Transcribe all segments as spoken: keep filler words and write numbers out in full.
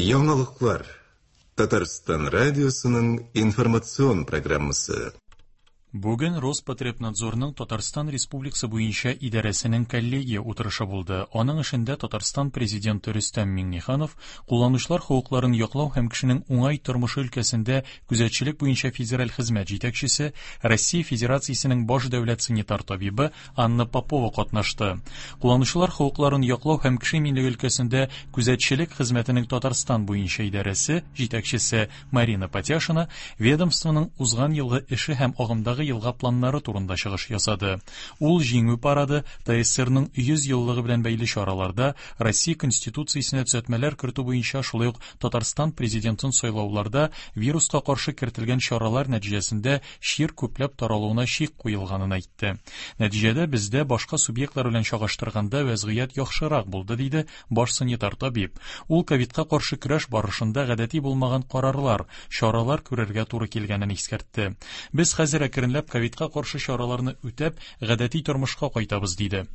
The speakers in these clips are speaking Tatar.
Яңалыклар. Татарстан радиосының информацион программасы. Бүген Роспотребнадзорның Татарстан Республикасы буенча идарәсенең коллегия утырышы булды. Аның эшендә Татарстан президенты Рөстәм Миңнеханов, кулланучылар хокукларын яклау һәм кешенең уңай тормышы өлкәсендә күзәтчелек буенча федераль хезмәт җитәкчесе, Россия Федерациясенең баш дәүләт санитар табибы Анна Попова катнашты. Кулланучылар хокукларын яклау һәм кеше иминлеге өлкәсендә күзәтчелек хезмәтенең Татарстан буенча идарәсе җитәкчесе Марина Патяшина ведомствоның узган елгы эше һәм агымдагы елга планнары турында чыгыш ясады. Ул Җиңү парады, ТАССРның йөз еллыгы белән бәйле чараларда Россия Конституциясенә төзәтмәләр кертү буенча, шулай ук Татарстан президентын сайлауларда вируска каршы кертелгән чаралар нәтиҗәсендә чир күпләп таралуына чик куелганын әйтте. Нәтиҗәдә бездә башка субъектлар белән чагыштырганда вәзгыять яхшырак булды, диде баш санитар табиб. Ул ковидка каршы көрәш барышында гадәти булмаган карарлар, чаралар күрергә туры килгәнен искәртте. Без хәзер әкренләп ковидка каршы чараларны үтәп, гадәти тормышка кайтабыз, диде.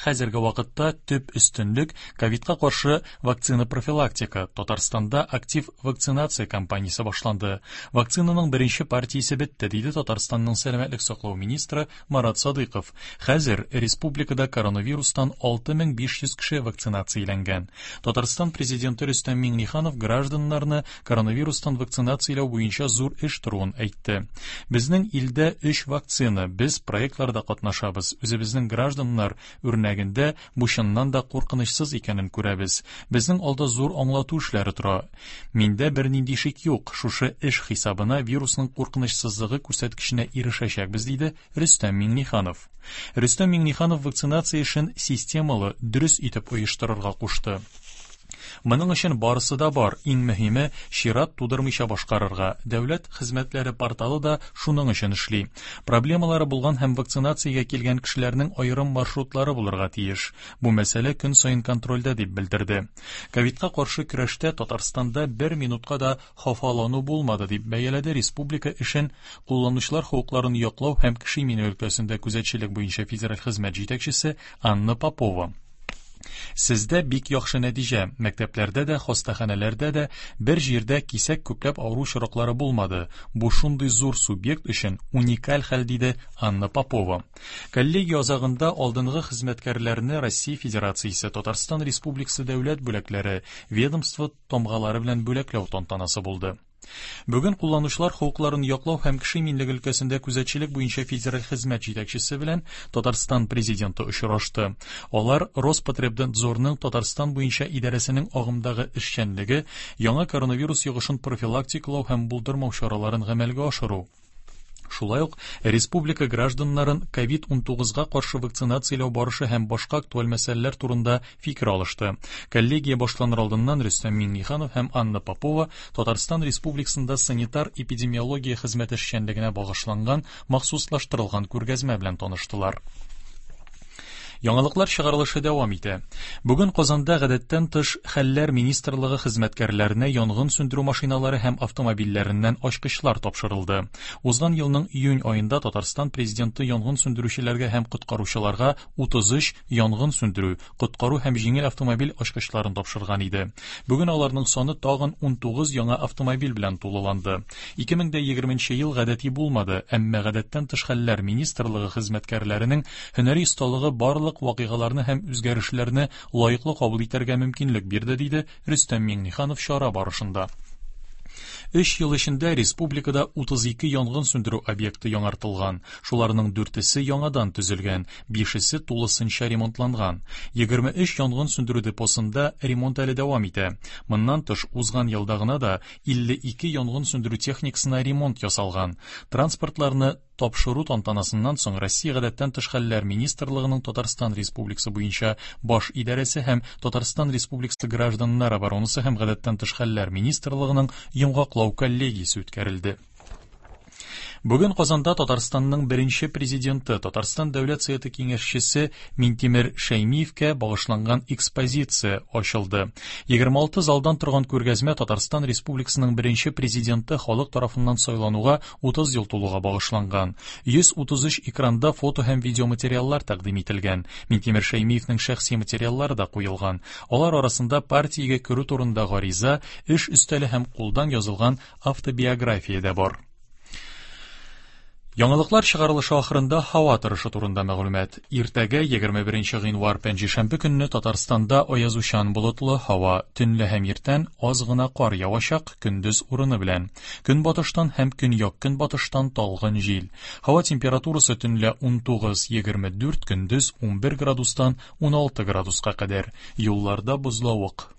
Хәзерге вакытта төп өстенлек ковидка каршы вакцина профилактика. Татарстанда актив вакцинация кампаниясе башланды. Вакцинаның беренче партиясе бетте, диде Татарстанның сәламәтлек саклау министры Марат Садыйков. Хәзер республикада коронавирустан алты мең биш йөз кеше вакцинацияләнгән. Татарстан президенты Рөстәм Миңнеханов гражданнарны коронавирустан вакцинацияләү буенча зур эш торуын әйтте. Безнең илдә өч вакцина, без проектларда катнашабыз. Үзебезнең гражданнар үрнәгендә бу чыннан да куркынычсыз икәнен күрәбез. Безнең алда зур аңлату эшләре тора. Миндә бернинди шик юк. Шушы эш хисабына вирусның куркынычсызлыгы күрсәткеченә ирешәчәкбез, диде Рөстәм Миңнеханов. Рөстәм Миңнеханов вакцинация эшен системалы, дөрес итеп оештырырга кушты. Моның өчен барысы да бар. Иң мөһиме чират тудырмыйча башкарырга. Дәүләт хезмәтләре порталы да шуның өчен эшли. Проблемалары булган һәм вакцинациягә килгән кешеләрнең аерым маршрутлары булырга тиеш. Бу мәсьәлә көн саен контрольдә, дип белдерде. Ковидка каршы көрәштә Татарстанда бер минутка да хафалану булмады, дип бәяләде республика эшен кулланучылар хокукларын яклау һәм кеше иминлеге өлкәсендә күзәтчелек буенча федераль хезмәт җитәкчесе Анна Попова. Сездә бик яхшы нәтиҗә. Мәктәпләрдә дә, хастаханәләрдә дә бер җирдә кисәк күпләп авыру очраклары булмады. Бу шундый зур субъект өчен уникаль хәл, диде Анна Попова. Коллегия азагында алдынгы хезмәткәрләрне Россия Федерациясе, Татарстан Республикасы дәүләт бүләкләре, ведомство тамгалары белән бүләкләү тантанасы булды. Бүген кулланучылар хокукларын яклау һәм кеше иминлеге өлкәсендә күзәтчелек буенча федераль хезмәт җитәкчесе белән Татарстан президенты очрашты. Алар Роспотребнадзорның Татарстан буенча идарәсенең агымдагы эшчәнлеге, яңа коронавирус йогышын профилактикалау һәм булдырмау чараларын гамәлгә ашыру, шулай ук республика гражданнарын ковид унтугызга каршы вакцинацияләү барышы һәм башка актуаль мәсьәләләр турында фикер алышты. Коллегия башланыр алдыннан Рөстәм Миңнеханов һәм Анна Попова Татарстан Республикасында санитар-эпидемиология хезмәте эшчәнлегенә багышланган махсуслаштырылган күргәзмә белән таныштылар. Яңалыклар чыгарылышы дәвам итә. Бүген Казанда гадәттән тыш хәлләр министрлыгы хезмәткәрләренә янгын сүндерү машиналары һәм автомобильләреннән ачкычлар тапшырылды. Узган елның июнь аенда Татарстан президенты янгын сүндерүчеләргә һәм коткаручыларга утыз өч янгын сүндерү, коткару һәм җиңел автомобиль ачкычларын тапшырган иде. Бүген аларның саны тагын унтугыз яңа автомобиль белән тулыланды. Ике мең дә егерменче ел гадәти булмады, әмма гадәттән тыш хәлләр министрлыгы хезмәткәрләренең һөнәри осталыгы барлык вакыйгаларны һәм үзгәрешләрне лаеклы кабул итәргә мөмкинлек бирде, диде Рөстәм Миңнеханов чара барышында. Өч ел эчендә республикада утыз ике янгын сүндерү объекты яңартылган. Шуларның дүртесе яңадан төзелгән, бишесе тулысынча ремонтланган. Егерме өч янгын сүндерү депосында ремонт әле дәвам итә. Моннан тыш, узган елда гына да илле ике янгын сүндерү техникасына ремонт ясалган. Транспортларны тапшыру тантанасыннан соң Россия гадәттән тыш хәлләр министрлыгының Татарстан Республикасы буенча баш идарәсе һәм Татарстан Республикасы гражданнар оборонасы һәм гадәттән тыш хәлләр министрлыгының йомгаклау коллегиясе үткәрелде. Бүген Казанда Татарстанның беренче президенты, Татарстан Дәүләт Советы киңәшчесе Минтимер Шәймиевкә багышланган экспозиция ачылды. Егерме алты залдан торган күргәзмә Татарстан Республикасының беренче президенты халык тарафыннан сайлануга утыз ел тулуга багышланган. Йөз утыз өч экранда фото һәм видеоматериаллар тәкъдим ителгән. Минтимер Шәймиевнең шәхси материаллары да куелган. Алар арасында партиягә керү турында гариза, эш өстәле һәм кулдан язылган автобиография дә бар. Яңалыклар чыгарылышы ахырында һава торышы турында мәгълүмат. Иртәгә егерме беренче гыйнвар пәнҗешәмбе көнне Татарстанда аязучан болытлы һава, төнлә һәм иртән аз гына кар явачак, көндез урыны белән. Көнбатыштан һәм көньяк-көнбатыштан талгын җил. Һава температурасы төнлә унтугыз егерме дүрт, көндез унбер градустан уналты градуска кадәр. Юлларда бозлавык.